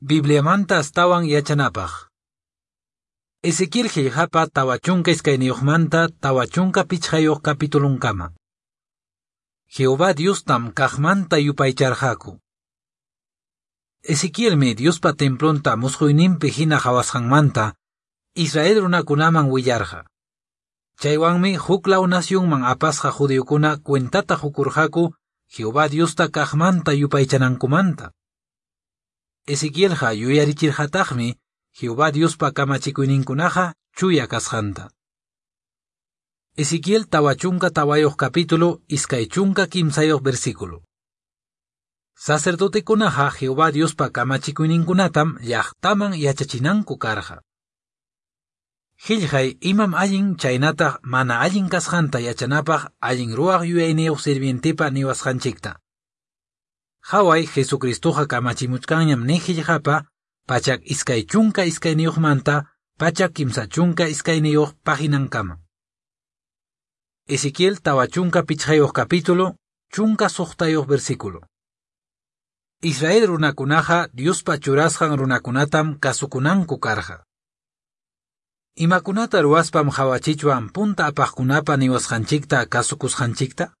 Bibliamanta astawan yachanapaj. Ezequiel qillqapa 42manta 45 capitulunkama. Jehová Diostam kaqmanta yupaycharqaku. Ezequielmi Diospa templonta musquyninpi hina qhawasqanmanta Israel runakunaman willarqa. Chaywanmi huk law nacionman apasqa judiokuna cuentata qukurqaku Jehová Diosta kaqmanta yupaychanankumanta. Ezequielqa yuyarichirqataqmi Jehová Diospa kamachikuyninkunaqa chuya kasqanta. Ezequiel 44 capítulo 23 versículo. Sacerdotekunaqa Jehová Diospa kamachikuyninkunatam llaqtaman yachachinanku karqa. Qillqay imam allin chaynataq mana allin kasqanta yachanapaq allin ruwaq yuyayniyuq sirvientepa niwasqanchikta. Qhaway Jesucristoqa kamachimuchkanñam ni qillqapa 122manta 132 paginankama. Ezequiel 45 capítulo 16 versículo. Israel runakunaqa Diospa churasqan runakunatam kasukunanku karqa. Imakunata ruwaspam qhawachichwan punta apaqkunapa niwasqanchikta kasukusqanchikta?